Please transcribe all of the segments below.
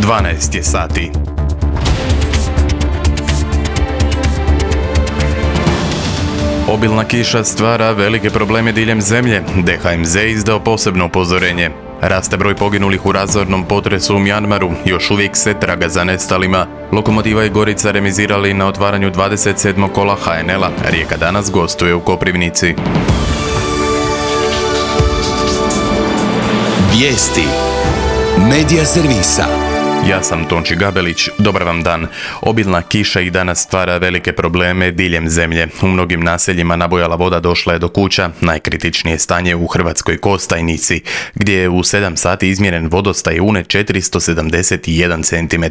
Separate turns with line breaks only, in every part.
12 je sati. Obilna kiša stvara velike probleme diljem zemlje. DHMZ izdao posebno upozorenje. Raste broj poginulih u razornom potresu u Mjanmaru, još uvijek se traga za nestalima. Lokomotiva i Gorica remizirali na otvaranju 27. kola HNL-a. Rijeka danas gostuje u Koprivnici.
Vijesti Medija servisa.
Ja sam Tonči Gabelić, dobar vam dan. Obilna kiša i danas stvara velike probleme diljem zemlje. U mnogim naseljima nabujala voda došla je do kuća, najkritičnije stanje u Hrvatskoj Kostajnici, gdje je u 7 sati izmjeren vodostaj une 471 cm.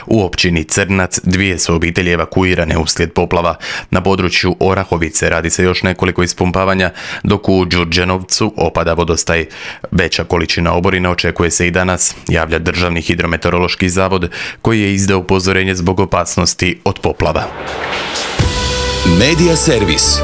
U općini Crnac 2 su obitelji evakuirane uslijed poplava. Na području Orahovice radi se još nekoliko ispumpavanja, dok u Đurđenovcu opada vodostaj. Veća količina oborina očekuje se i danas, javlja Državni hidrometeorološki zavod, koji je izdao upozorenje zbog opasnosti od poplava.
Medija servis.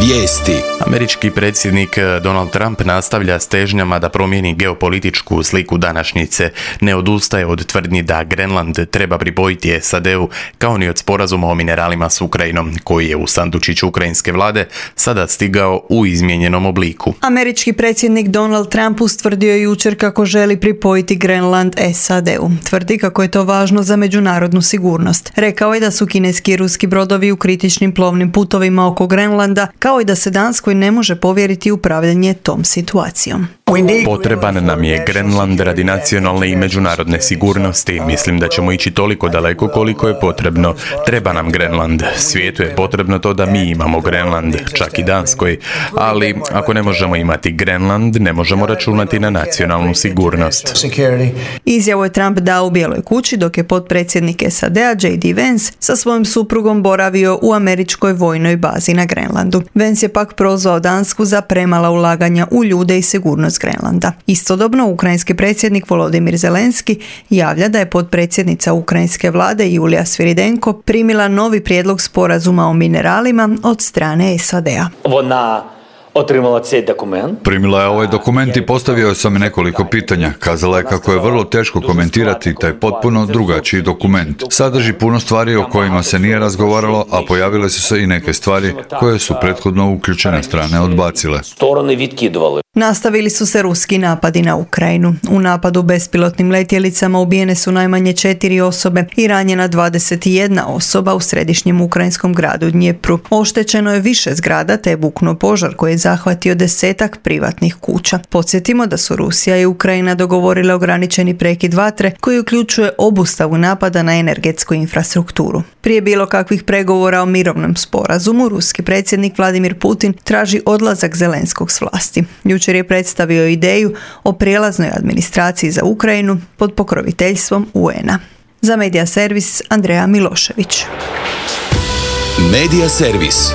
Vijesti.
Američki predsjednik Donald Trump nastavlja s težnjama da promijeni geopolitičku sliku današnjice. Ne odustaje od tvrdnji da Grenland treba pripojiti SAD-u, kao ni od sporazuma o mineralima s Ukrajinom, koji je u sandučiću ukrajinske vlade sada stigao u izmijenjenom obliku.
Američki predsjednik Donald Trump ustvrdio je jučer kako želi pripojiti Grenland SAD-u. Tvrdi kako je to važno za međunarodnu sigurnost. Rekao je da su kineski i ruski brodovi u kritičnim plovnim putovima oko Grenlanda, kao i da se Danskoj ne može povjeriti upravljanje tom situacijom.
Potreban nam je Grenland radi nacionalne i međunarodne sigurnosti. Mislim da ćemo ići toliko daleko koliko je potrebno. Treba nam Grenland. Svijetu je potrebno to da mi imamo Grenland, čak i Danskoj. Ali ako ne možemo imati Grenland, ne možemo računati na nacionalnu sigurnost.
Izjavu je Trump dao u Bijeloj kući dok je potpredsjednik SAD-a J.D. Vance sa svojim suprugom boravio u američkoj vojnoj bazi na Grenlandu. Vance je pak prozvao Dansku za premala ulaganja u ljude i sigurnost Grenlanda. Istodobno, ukrajinski predsjednik Volodimir Zelenski javlja da je potpredsjednica ukrajinske vlade Julija Sviridenko primila novi prijedlog sporazuma o mineralima od strane SAD-a.
Primila je ovaj dokument i postavio sam nekoliko pitanja. Kazala je kako je vrlo teško komentirati taj potpuno drugačiji dokument. Sadrži puno stvari o kojima se nije razgovaralo, a pojavile su se i neke stvari koje su prethodno uključene strane odbacile.
Nastavili su se ruski napadi na Ukrajinu. U napadu bespilotnim letjelicama ubijene su najmanje 4 osobe i ranjena 21 osoba u središnjem ukrajinskom gradu Dnjepru. Oštećeno je više zgrada te je buknuo požar koji je zahvatio 10 privatnih kuća. Podsjetimo da su Rusija i Ukrajina dogovorile ograničeni prekid vatre koji uključuje obustavu napada na energetsku infrastrukturu. Prije bilo kakvih pregovora o mirovnom sporazumu, ruski predsjednik Vladimir Putin traži odlazak Zelenskog s vlasti. Jučer je predstavio ideju o prijelaznoj administraciji za Ukrajinu pod pokroviteljstvom UN-a. Za Medija servis Andreja Milošević.
Medija servis.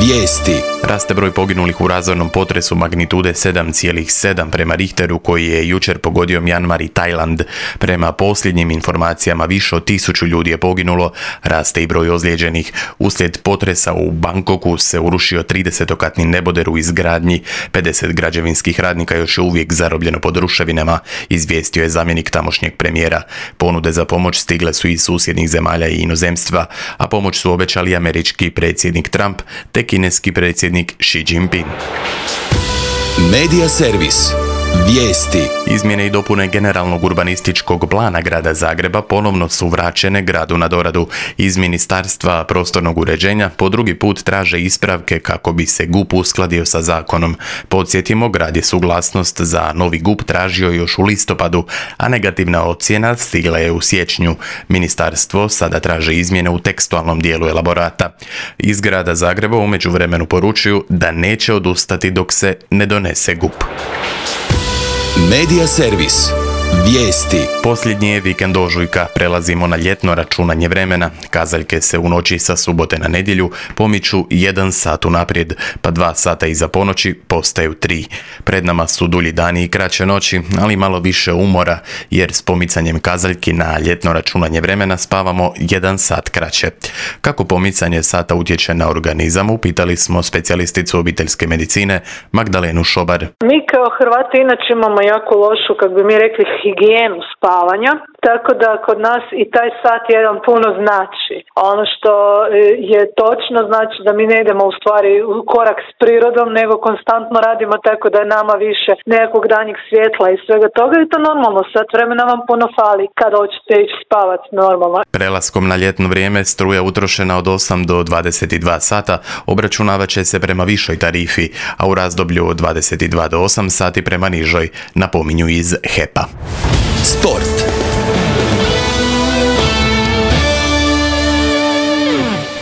Vijesti.
Raste broj poginulih u razornom potresu magnitude 7,7 prema Richteru koji je jučer pogodio Mjanmar i Tajland. Prema posljednjim informacijama više od 1000 ljudi je poginulo, raste i broj ozlijeđenih. Uslijed potresa u Bangkoku se urušio 30-katni neboder u izgradnji. 50 građevinskih radnika još je uvijek zarobljeno pod ruševinama, izvijestio je zamjenik tamošnjeg premijera. Ponude za pomoć stigle su iz susjednih zemalja i inozemstva, a pomoć su obećali američki predsjednik Trump te kineski predsjednik Xi Jinping.
Medija servis. Vijesti.
Izmjene i dopune generalnog urbanističkog plana grada Zagreba ponovno su vraćene gradu na doradu. Iz Ministarstva prostornog uređenja po drugi put traže ispravke kako bi se GUP uskladio sa zakonom. Podsjetimo, grad je suglasnost za novi GUP tražio još u listopadu, a negativna ocjena stigla je u siječnju. Ministarstvo sada traže izmjene u tekstualnom dijelu elaborata. Iz grada Zagreba u međuvremenu poručuju da neće odustati dok se ne donese GUP.
Medija servis. Vijesti.
Posljednji je vikend ožujka, prelazimo na ljetno računanje vremena. Kazaljke se u noći sa subote na nedjelju pomiču 1 sat unaprijed, pa 2 sata iza ponoći postaju 3. Pred nama su dulji dani i kraće noći, ali malo više umora, jer s pomicanjem kazaljki na ljetno računanje vremena spavamo 1 sat kraće. Kako pomicanje sata utječe na organizam, upitali smo specijalisticu obiteljske medicine Magdalenu Šobar.
Mi kao Hrvati inače imamo jako lošu, kako bi mi rekli, higijenu spavanja. tako da kod nas i taj sat jedan puno znači. Ono što je točno znači da mi ne idemo u stvari u korak s prirodom, nego konstantno radimo tako da je nama više nekakvog danjeg svjetla i svega toga i to normalno, sat vremena vam puno fali kada hoćete ići spavat normalno.
Prelaskom na ljetno vrijeme struja utrošena od 8 do 22 sata obračunavat će se prema višoj tarifi, a u razdoblju od 22 do 8 sati prema nižoj, napominju iz HEP-a.
Sport.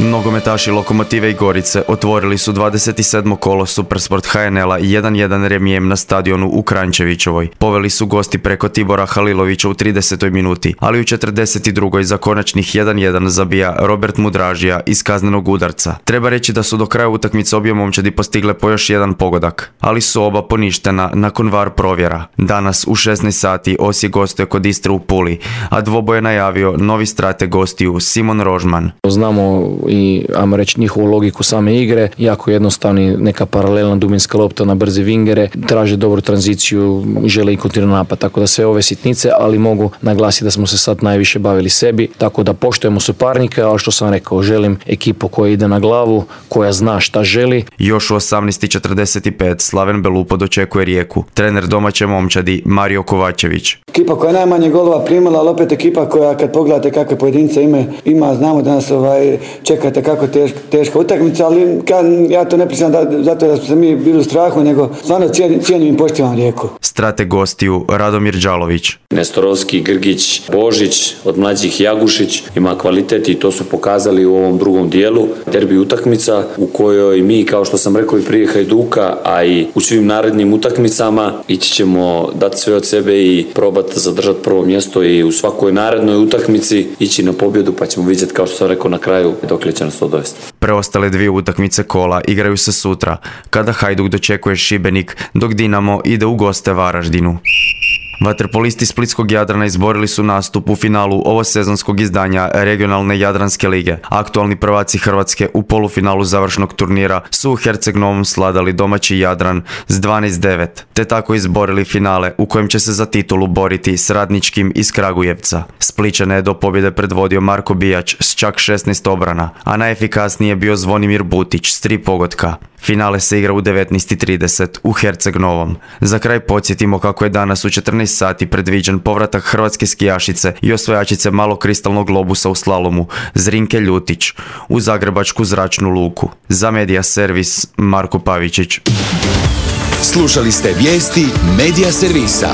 Nogometaši Lokomotive i Gorice otvorili su 27. kolo Supersport HNL-a 1-1 remijem na stadionu u Kranjčevićevoj. Poveli su gosti preko Tibora Halilovića u 30. minuti, ali u 42. za konačnih 1-1 zabija Robert Mudražija iz kaznenog udarca. Treba reći da su do kraja utakmice obje momčadi postigle po još jedan pogodak, ali su oba poništena nakon VAR provjera. Danas u 16 sati Osijek gostuje kod Istre u Puli, a dvoboj je najavio novi strateg gostiju Simon Rožman.
Znamo i, ajmo reći, njihovu logiku same igre, jako jednostavni, neka paralelna dubinska lopta na brze vingere, traže dobru tranziciju, žele i kontinuirani napad, tako da sve ove sitnice, ali mogu naglasiti da smo se sad najviše bavili sebi, tako da poštujemo suparnike, ali što sam rekao, želim ekipu koja ide na glavu, koja zna šta želi.
Još u 18:45 Slaven Belupo dočekuje Rijeku. Trener domaće momčadi Mario Kovačević.
Ekipa koja je najmanje golova primila, ali opet ekipa koja, kad pogledate kakve pojedince ima, znamo da nas čekate kako teška utakmica, ali ja to ne pričam zato da smo se mi bili u strahu, nego stvarno cijenim i poštivam Rijeku.
Strateg gostiju Radomir Đalović.
Nestorovski, Grgić, Božić, od mlađih Jagušić ima kvalitet i to su pokazali u ovom drugom dijelu. Derbi utakmica u kojoj mi, kao što sam rekao i prije Hajduka, a i u svim narednim utakmicama ići ćemo dati sve od sebe i probati zadržati prvo mjesto i u svakoj narednoj utakmici ići na pobjedu, pa ćemo vidjeti, kao što sam rekao, na kraju dokle će nas to dovesti.
Preostale dvije utakmice kola igraju se sutra, kada Hajduk dočekuje Šibenik, dok Dinamo ide u goste Varaždinu. Vaterpolisti Splitskog Jadrana izborili su nastup u finalu ovosezonskog izdanja regionalne Jadranske lige. Aktualni prvaci Hrvatske u polufinalu završnog turnira su u Herceg Novom sladali domaći Jadran s 12-9, te tako izborili finale u kojem će se za titulu boriti s Radničkim iz Kragujevca. Splićane je do pobjede predvodio Marko Bijač s čak 16 obrana, a najefikasniji je bio Zvonimir Butić s 3 pogotka. Finale se igra u 19:30 u Herceg Novom. Za kraj podsjetimo kako je danas u 14 sati predviđen povratak hrvatske skijašice i osvajačice malokristalnog globusa u slalomu Zrinke Ljutić u Zagrebačku zračnu luku. Za Medija Servis Marko Pavičić.
Slušali ste vijesti Medija Servisa.